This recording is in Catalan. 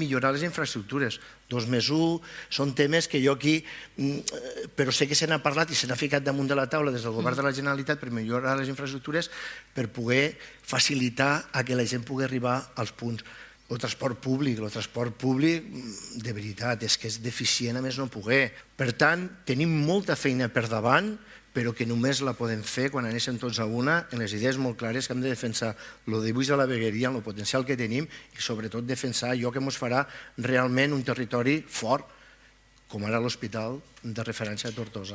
millorar les infraestructures. 2+1 són temes que jo aquí, però sé que se n'ha parlat i se n'ha ficat damunt de la taula des del govern de la Generalitat per millorar les infraestructures, per poder facilitar que la gent pugui arribar als punts. El transport públic, de veritat, és que és deficient a més no poder. Per tant, tenim molta feina per davant, però que només la podem fer quan anéssim tots a una, en les idees molt clares que hem de defensar el dibuix de la vegueria, el potencial que tenim i sobretot defensar allò que ens farà realment un territori fort, com ara l'hospital de referència a Tortosa.